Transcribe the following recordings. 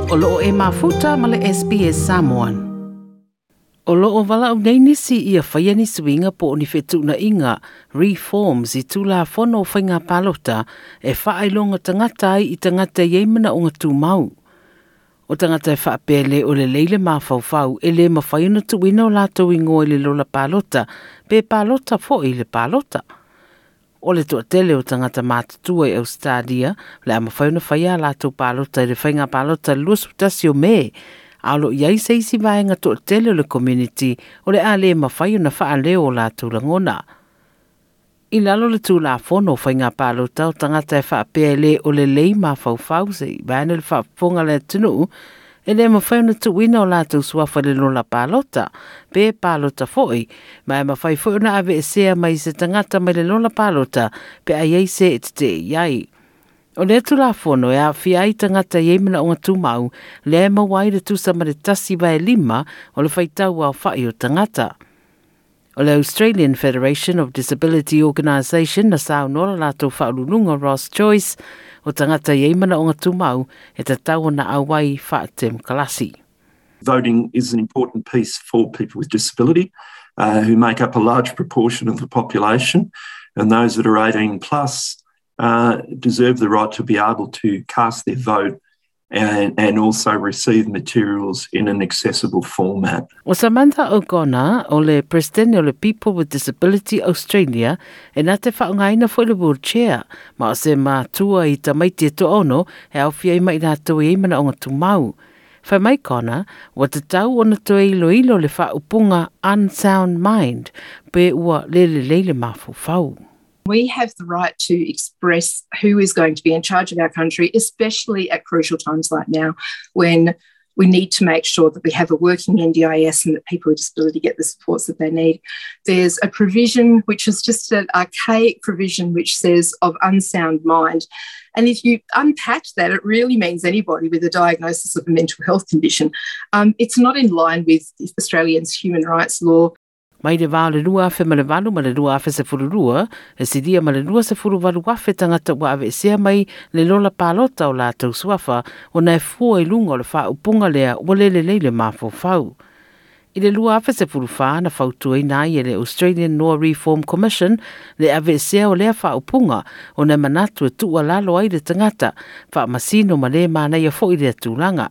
O loo e mafuta ma le SBS Samoan. O loo valaau nei nisi ia faia ni suiga po o ni fetuunaiga reforms i Tulafono o Faiga Palota e faailoga tagata ai i tagata e i ai manaoga tumau. O tagata e faapea le o lelei le mafaufau e le mafai ona tuuina o latou igoa i le lola palota pe palota foi i le palota. O le toatele o tagata matutua i Ausetalia o le a mafai ona faia a latou palota i le faiga palota i le 21 o Me, a o lo o i ai se isi vaega toatele o le community o le a le mafai ona faaleo o latou lagona. I lalo o le Tulafono o Faiga Palota o tagata e faapea e le o lelei mafaufau se i vaeane le faafofoga a le atunuu, e le mafai ona tuuina o latou suafa i le lola palota, pe palota foi, ma e mafai foi ona aveesea mai se tagata mai le lola palota pe a i ai se e tetee i ai. O lea Tulafono e aafia ai tagata e i ai manaoga tumau, lea e maua ai le tusa ma le 1/5 o le faitau aofai o tagata. O le Australian Federation of Disability Organisation na saunoa le latou faauluuluga Ross Joyce, o tagata e i ai manaoga tumau e tatau ona auai faatemokarasi. Voting is an important piece for people with disability who make up a large proportion of the population and those that are 18 plus deserve the right to be able to cast their vote and also receive materials in an accessible format. O Samantha O'Connor, o le Peresetene o le People with Disability Australia, e na te faaaogaina foi le wheelchair, ma o se matua i tamaiti e toaono e aofia ai ma i latou e i ai manaoga tumau. Fai mai Connor, ua tatau ona toe iloilo le faaupuga unsound mind pe ua le lelei le mafaufau. We have the right to express who is going to be in charge of our country, especially at crucial times like now when we need to make sure that we have a working NDIS and that people with disability get the supports that they need. There's a provision which is just an archaic provision which says of unsound mind. And if you unpack that, it really means anybody with a diagnosis of a mental health condition. It's not in line with Australians' human rights law. Mai le vā o le 2008 ma le 2012, e silia ma le 28,000 tagata ua aveesea mai le lola palota o latou suafa ona e fua i luga o le faaupuga lea ua le lelei le mafaufau. I le 2014 na fautuaina ai e le Australian Law Reform Commission le aveesea o lea faaupuga ona e manatu e tuualalo ai le tagata, faamasino ma le manaia foi lea tulaga.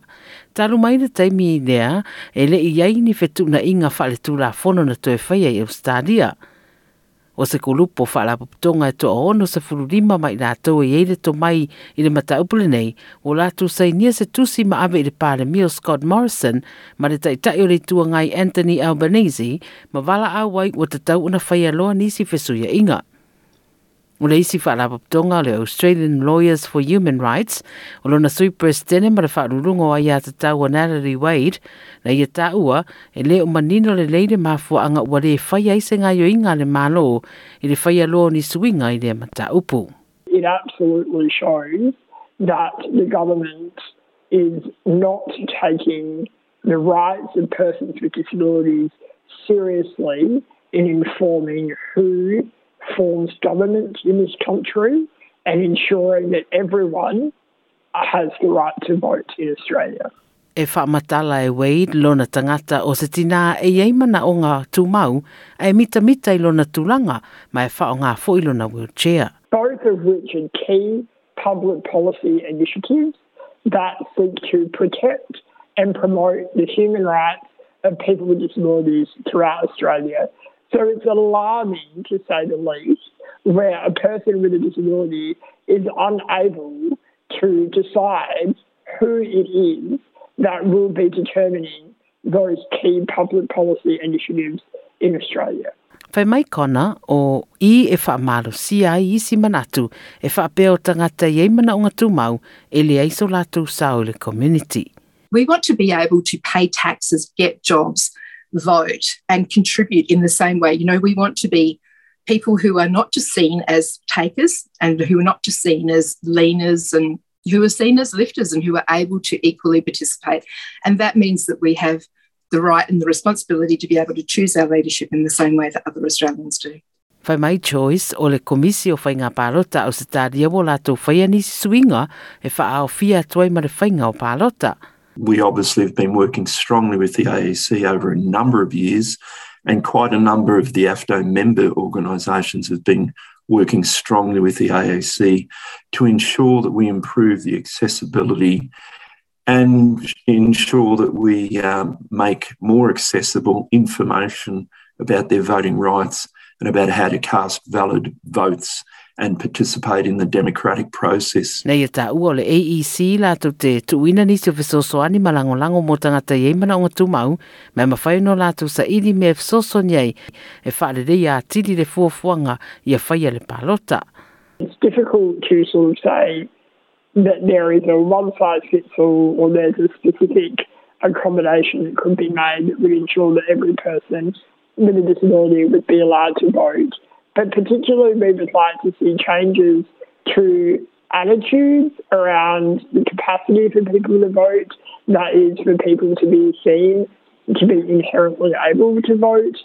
Talu mai le taimi lea, e le i i ai ni fetuunaiga faaletulafono na toe faia i Ausetalia. O se kulupu o faalapotopotoga e toa 65 ma i latou e i ai le tomai i le mataupu lenei, ua latou sainia se tusi ma ave i le Palemia o Scott Morrison ma le Taitai o le Itu Agai Anthony Albanese ma valaau ai ua tatau ona faia loa nisi fesuiaiga. O le isi faalapotopotoga o le Australian Lawyers for Human Rights, o lona sui Peresetene ma le Faauluuluga o Aiatatau a Natalie Wade, na ia taua e le o manino lelei le mafuaaga ua le faia ai se gaoioiga a le Malo i le faia loa o ni suiga i lea mataupu. It absolutely shows that the government is not taking the rights of persons with disabilities seriously in informing who forms government in this country and ensuring that everyone has the right to vote in Australia. E faamatala e Wade lona tagata o se tinā e i ai manaoga tumau a e mitamita i lona tulaga ma e faaaoga foi lona wheelchair. Both of which are key public policy initiatives that seek to protect and promote the human rights of people with disabilities throughout Australia. So it's alarming, to say the least, where a person with a disability is unable to decide who it is that will be determining those key public policy initiatives in Australia. Fai mai Connor, o i e faamalosia ai isi manatu e faapea o tagata e i ai manaoga tumau e leai so latou sao i le community. We want to be able to pay taxes, get jobs, vote and contribute in the same way. You know, we want to be people who are not just seen as takers and who are not just seen as leaners and who are seen as lifters and who are able to equally participate. And that means that we have the right and the responsibility to be able to choose our leadership in the same way that other Australians do. Fai mai Joyce, o le Komisi o Faiga Palota a Ausetalia ua latou faia nisi suiga e faaaofia atu ai ma le faiga o palota. We obviously have been working strongly with the AEC over a number of years, and quite a number of the AFDO member organisations have been working strongly with the AEC to ensure that we improve the accessibility and ensure that we make more accessible information about their voting rights and about how to cast valid votes and participate in the democratic process. Nei e tāua o le AEC lātou te tuuina nisi o fesoasoani ma lagolago mo tagata i ai manaoga tumau, ma e mafai ona latou saili mea e fesoasoani ai e faaleleia atili le fuafuaga ia faia le palota. It's difficult to sort of say that there is a one-size-fits-all or there's a specific accommodation that could be made that would ensure that every person with a disability would be allowed to vote. But particularly we would like to see changes to attitudes around the capacity for people to vote, that is for people to be seen to be inherently able to vote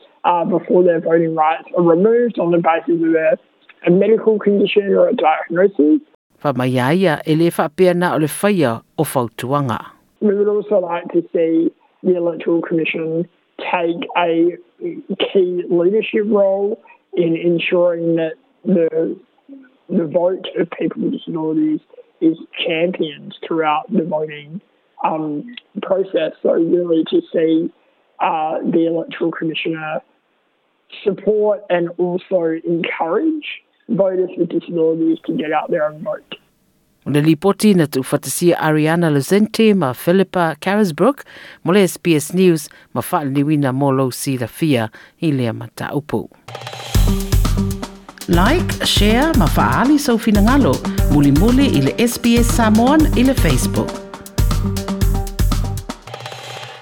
before their voting rights are removed on the basis of a medical condition or a diagnosis. Fai mai a ia e le faapea na o le faia o fautuaga. We would also like to see the Electoral Commission take a key leadership role in ensuring that the vote of people with disabilities is championed throughout the voting process. So really to see the Electoral Commissioner support and also encourage voters with disabilities to get out there and vote. O le lipoti na tuufaatasia Ariana Lucente ma Philippa Carisbrook mo le SBS News ma faaliliuina mo lou silafia i lea mataupu. Like, share ma faaali sou finagalo mulimuli i le SBS Samoan i le Facebook.